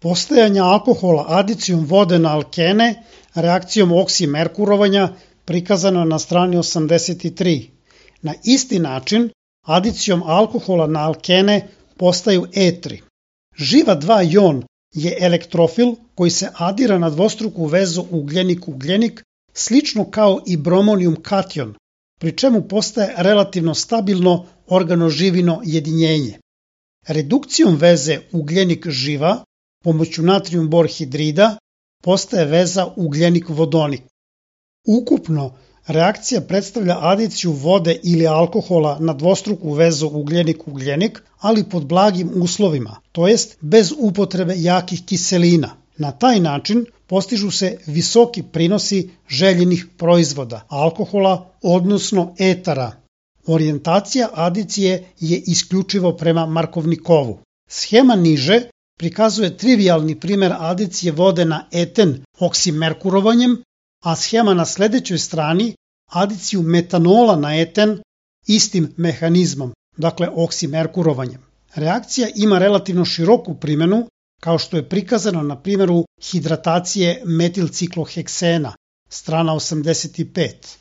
postajanja alkohola adicijom vode na alkene reakcijom oksimerkurovanja prikazano na strani 83. Na isti način, adicijom alkohola na alkene postaju etri. Živa 2-jon je elektrofil koji se adira na dvostruku vezu ugljenik-ugljenik, slično kao i bromonijum kation, pri čemu postaje relativno stabilno organoživino jedinjenje. Redukcijom veze ugljenik-živa pomoću natrijum bor hidrida postaje veza ugljenik-vodonik. Ukupno, reakcija predstavlja adiciju vode ili alkohola na dvostruku vezu ugljenik-ugljenik, ali pod blagim uslovima, to jest bez upotrebe jakih kiselina. Na taj način postižu se visoki prinosi željenih proizvoda, alkohola, odnosno etara. Orijentacija adicije je isključivo prema Markovnikovu. Schema niže prikazuje trivialni primjer adicije vode na eten oksimerkurovanjem, a schema na sljedećoj strani adiciju metanola na eten istim mehanizmom, dakle oksimerkurovanjem. Reakcija ima relativno široku primjenu, kao što je prikazano na primjeru hidratacije metilcikloheksena, strana 85.